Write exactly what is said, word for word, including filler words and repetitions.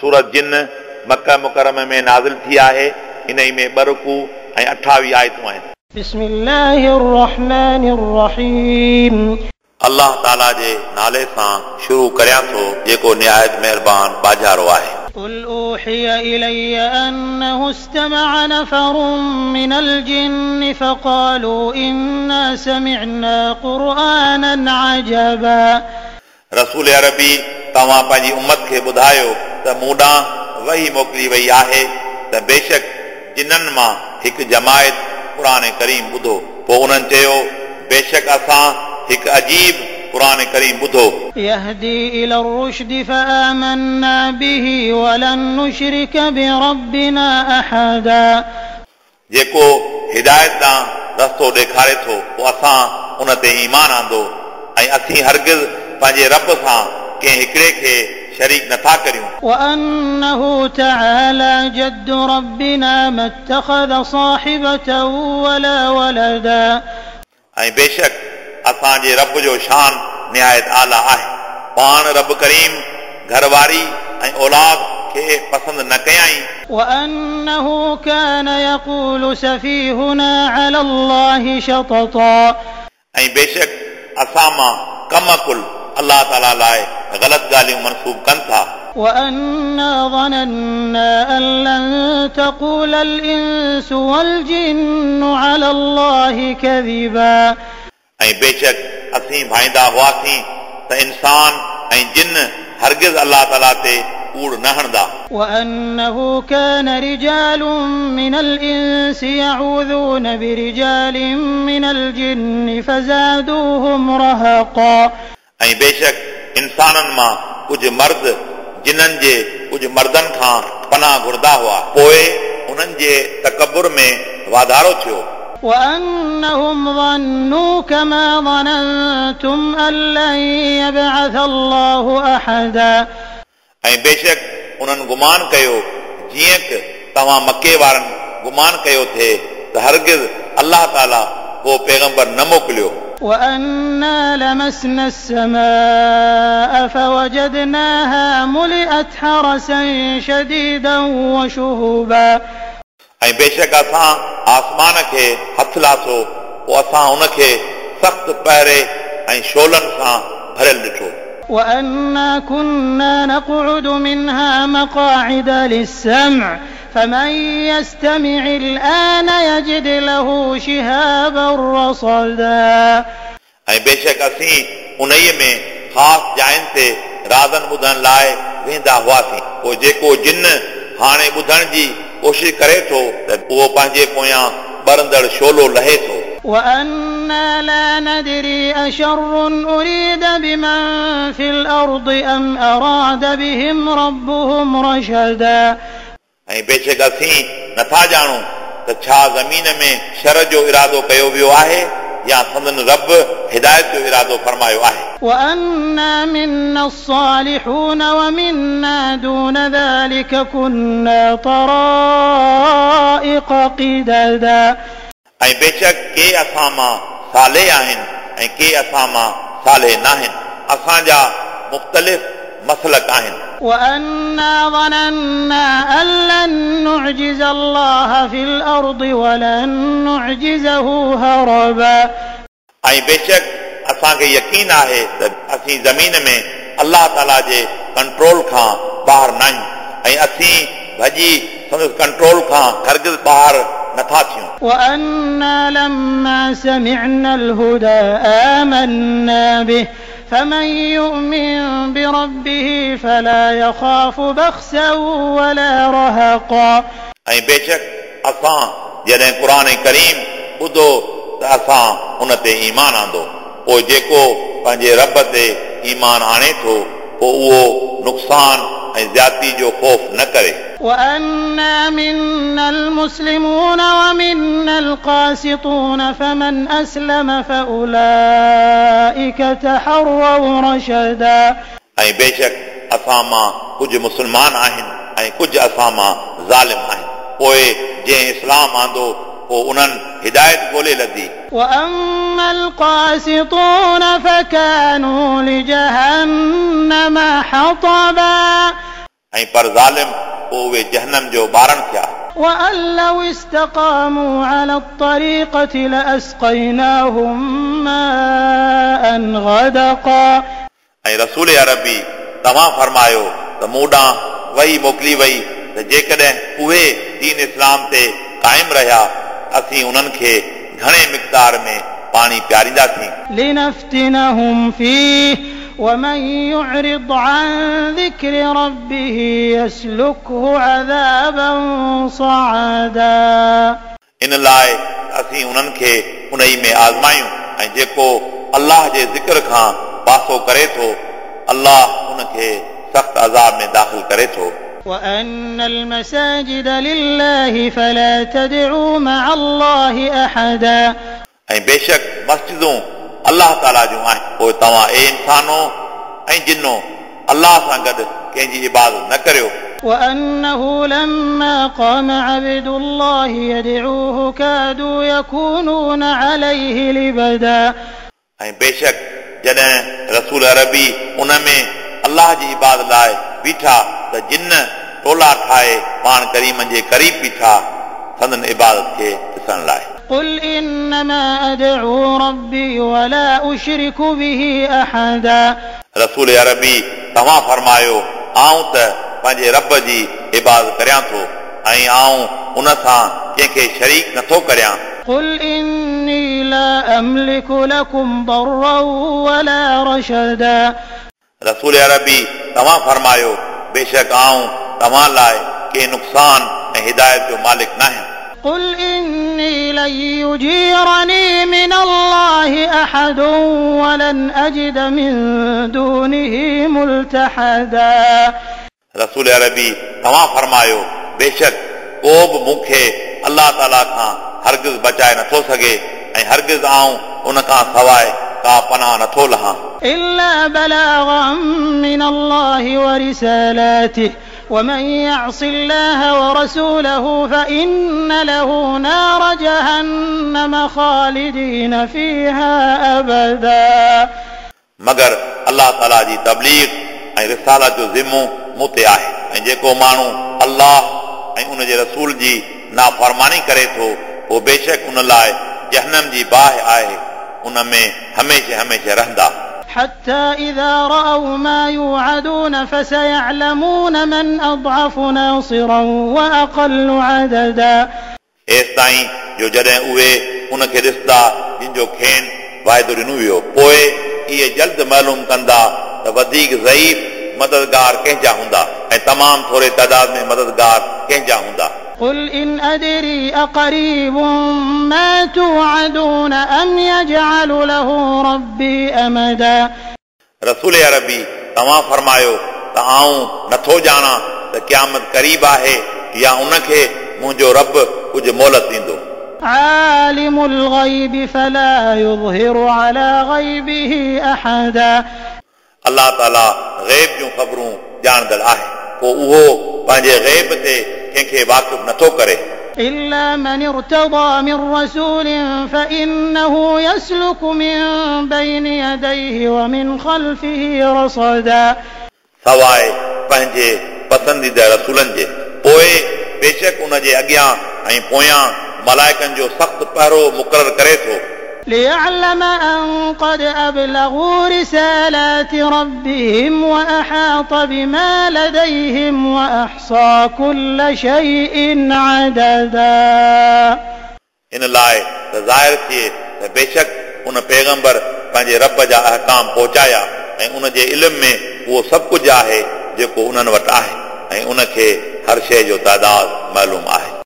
सूरत जिन मक्का मुकर्रम में नाज़िल थी आहे। इन में ॿ रुकू ऐं अठावीह आयतूं आहिनि। बिस्मिल्लाहिर्रहमानिर्रहीम। अल्लाह ताला जे नाले सां शुरू करियां थो जेको निहायत महिरबान बाजारो आहे। कुल ऊहिय इलय्य अन्नहु इस्तमअ नफरुन मिनल जिन्न फक़ालू इन्ना समिअना क़ुरआनन अजबा। रसूल अरबी तव्हां पंहिंजी उम्मत खे ॿुधायो त मूं ॾांहुं वही मोकिली वई आहे त बेशक जिन्ननि मां हिकु जमायत क़ुर करीम ॿुधो। पोइ उन्हनि चयो बेशक असां हिकु अजीब क़ुर करीम ॿुधो। यहदी इला रुश्द फ़आमन्ना बिही वलन नुशरिक बिरब्बिना अहदा। जेको हिदायत ॾांहुं रस्तो ॾेखारे थो पोइ असां उन ते ईमान आंदो ऐं असीं हरगिज़ पंहिंजे रब सां कंहिं हिकिड़े खे शरीक नथा करियूं। वअन्नहु तआला जद्दु रब्बिना मत्तखज़ साहिबतन वला वलदा। ऐं बेशक असांजे रब जो शान निहायत आला आहे। पाण रब करीम घरवारी ऐं औलाद खे पसंदि न कयाईं। वअन्नहु कान यक़ूलु सफ़ीहुना अला अल्लाहि शतता। ऐं बेशक असां मां कम अकुल अल्लाह ताला लाइ ग़लति ॻाल्हियूं मनसूब कनि था। वअन्ना ज़नन्ना अन लन तक़ूलल इंसु वल जिन्नु अला अल्लाहि कज़िबा। ऐं बेशक असीं भाईंदा हुआसीं त इंसान ऐं जिन हरगिज़ अल्लाह ताला ते कूड़ न हणंदा। वअन्नहु कान रिजालुन मिनल इंसि यऊज़ून बिरिजालिन मिनल जिन्नि फ़ज़ादूहुम रहक़ा। ऐं बेशक इंसाननि मां कुझु मर्द जिन्ननि जे कुझु मर्दनि खां पनाह घुरंदा हुआ, पोइ उन्हनि जे तकबुर में वाधारो थियो। वअन्नहुम ज़न्नू कमा ज़ननतुम अन लन यबअथ अल्लाहु अहदा। ऐं बेशक उन्हनि गुमान कयो जीअं की तव्हां मक्के वारनि गुमान कयो थिए त हरगिज़ अल्लाह ताला को पैगंबर न मोकिलियो। वअन्ना लमसना अस्समाअ फवजदनाहा मुलिअत हरसन शदीदन वशुहुबा। ऐं बेशक असां आसमान खे हथ लाथो पोइ असां उनखे सख़्तु पहरे ऐं शोलनि सां भरियल ॾिठो। वअन्ना कुन्ना नक़उदु मिन्हा मक़ाइद लिस्सम्अ फमन यस्तमिअ अल-आन यजिद लहू शिहाबन रसदा। ऐं बेशक असीं उन्हीअ में ख़ासि जाइनि ते राज़नि ॿुधण लाइ वेंदा हुआसीं। पोइ जेको जिन हाणे ॿुधण जी कोशिशि करे थो त उहो पंहिंजे पोयां ॿरंदड़ शोलो लहे थो। वअन्ना ला नदरी अशर्रुन उरीद बिमन फिल अर्दि अम अराद बिहिम रब्बुहुम रशदा। ऐं बेशक असीं नथा ॼाणूं त छा ज़मीन में शर जो इरादो कयो वियो आहे या संदन रब हिदायत जो इरादो फरमायो आहे। वअन्ना मिन्ना अस्सालिहून वमिन्ना दून ज़ालिक कुन्ना तराइक़ क़िददा। ऐं बेशक के असां मां साले आहिनि ऐं के असां मां साले नाहिनि, असांजा मुख़्तलिफ़ मसलक आहिनि। वअन्ना ज़नन्ना अन लन नुअजिज़ अल्लाह फ़िल अर्दि वलन नुअजिज़हु हरबा। ऐं बेशक असांखे यकीन आहे त असीं ज़मीन में अल्लाह ताला जे कंट्रोल खां ॿाहिरि न आहियूं ऐं असीं भॼी संदसि कंट्रोल खां हरगिज़ ॿाहिरि नथा थियूं। वअन्ना लम्मा समिअना अल-हुदा आमन्ना बिhi फमन युमिन बिरब्बिही फला यखाफु बख़्सन वला रहक़ा। ऐं बेशक असां जॾहिं क़ुर करीम ॿुधो त असां उन ते ईमान आंदो। पोइ जेको पंहिंजे रब ते ईमान आणे थो पोइ उहो नुक़सान ऐं ज़्यादती जो ख़ौफ़ न करे। वअन्ना मिन्नल मुस्लिमून वमिन्नल क़ासितून फमन अस्लम फ़उलाइक तहर्रौ रशदा। ऐं बेशक असां मां कुझु मुस्लमान आहिनि ऐं कुझु असां मां ज़ालिम आहिनि। पोइ जंहिं इस्लाम आंदो पोइ उन्हनि हिदायत ॻोल्हे लधी। वअम्मल क़ासितून फ़कानू लिजहन्नम हतबा। ऐं ऐं पर ज़ालिम पोइ उहे जहनम जो ॿारण थिया। وأن لو استقاموا على الطريقة لأسقيناهم ماء غدقا। ऐं रसूल अरबी तव्हां फरमायो त मूं ॾांहुं वही मोकिली वई त जेकॾहिं उहे दीन इस्लाम ते क़ाइम रहिया असीं उन्हनि खे घणे मिक़दार में पाणी पीआरींदासीं। لنفتنهم فيه ومن يعرض عن ذكر ربه يسلكه عذابا صعدا। इन लाइ असीं उन्हनि खे उन ई में आज़मायूं ऐं जेको अल्लाह जे ज़िक्र खां पासो करे थो अल्लाह उनखे सख़्त अज़ाब में दाख़िल करे थो। وأن المساجد لله فلا تدعوا مع الله أحدا। ऐं बेशक मस्जिदूं अल्लाह ताला जूं आहिनि, पोइ तव्हां ए इंसानो ऐं जिनो अल्लाह सां गॾु कंहिंजी इबादत न करियो। وأنه لما قام عبد الله يدعوه كادوا يكونون عليه لبدا। ऐं बेशक जॾहिं रसूल अरबी उन में अल्लाह जी इबादत लाइ बीठा त जिन टोला ठाहे पाण करीम जे क़रीब बीठा संदन इबादत खे ॾिसण लाइ। قل إنما أدعو ربي ولا أشرك به أحدا। रसूल अरबी तव्हां फरमायो आऊं त पंहिंजे रब जी इबादत करियां थो ऐं आऊं उन सां कंहिंखे शरीक नथो करियां। قل إني لا أملك لكم ضرا ولا رشدا। रसूल अरबी तव्हां फरमायो बेशक आऊं तव्हां लाइ कंहिं नुक़सान ऐं हिदायत जो मालिक न आहियां। قل إني لن يجيرني من الله أحد ولن أجد من دونه ملتحدا। रसूल अरबी तव्हां फरमायो बेशक को बि मूंखे अल्लाह ताला खां हरगिज़ बचाए नथो सघे ऐं हरगिज़ आऊं उन खां सवाइ का पनाह नथो लहां। إلا بلاغا من الله ورسالاته ومن يعص الله ورسوله فإن له نار جهنم خالدين فيها أبدا। मगर अल्लाह ताला जी तबलीग ऐं रिसालत जो ज़िमो मूं ते आहे ऐं जेको माण्हू अल्लाह ऐं उन जे रसूल जी नाफ़रमानी करे थो उहो बेशक उन लाइ जहनम जी बाहि आहे, उन में हमेशह हमेशह रहंदा। حتى إذا رأوا ما يوعدون فسيعلمون من أضعف ناصرا وأقل عددا। एसिताईं जो जॾहिं उहे उनखे ॾिसंदा जिन जो खेनि वाइदो ॾिनो वियो, पोइ इहे जल्द मालूम कंदा त वधीक ज़ईफ़ मददगार कंहिंजा हूंदा ऐं तमामु थोरे तादाद में मददगार कंहिंजा हूंदा। قل إن أدري أقريب ما توعدون أم يجعل له ربي أمدا। रसूल अरबी तव्हां फरमायो त आऊं नथो ॼाणा त क़यामत क़रीब आहे या उनखे मुंहिंजो रब कुझु मोहलत ॾींदो। عالم الغيب فلا يظهر على غيبه أحدا। अल्लाह ताला ग़ैब जूं ख़बरूं ॼाणंदड़ आहे, पोइ उहो पंहिंजे ग़ैब ते कंहिंखे वाक़िफ़ नथो करे। إلا من ارتضى من رسول فإنه يسلك من بين يديه ومن خلفه رصدا। सवाइ पंहिंजे पसंदीदा रसूलनि जे, पोइ बेशक उन जे अॻियां ऐं पोयां मलाइकनि जो सख़्तु पहरो मुक़ररु करे थो। ليعلم أن قد أبلغوا رسالات ربهم وأحاط بما لديهم وأحصى كل شيء عددا। इन लाइ त ज़ाहिर थिए त बेशक उन पैगंबर पंहिंजे रब जा अहकाम पहुचाया ऐं उन जे इल्म में उहो सभु कुझु आहे जेको उन्हनि वटि आहे ऐं उनखे हर शइ जो तादाद मालूम आहे।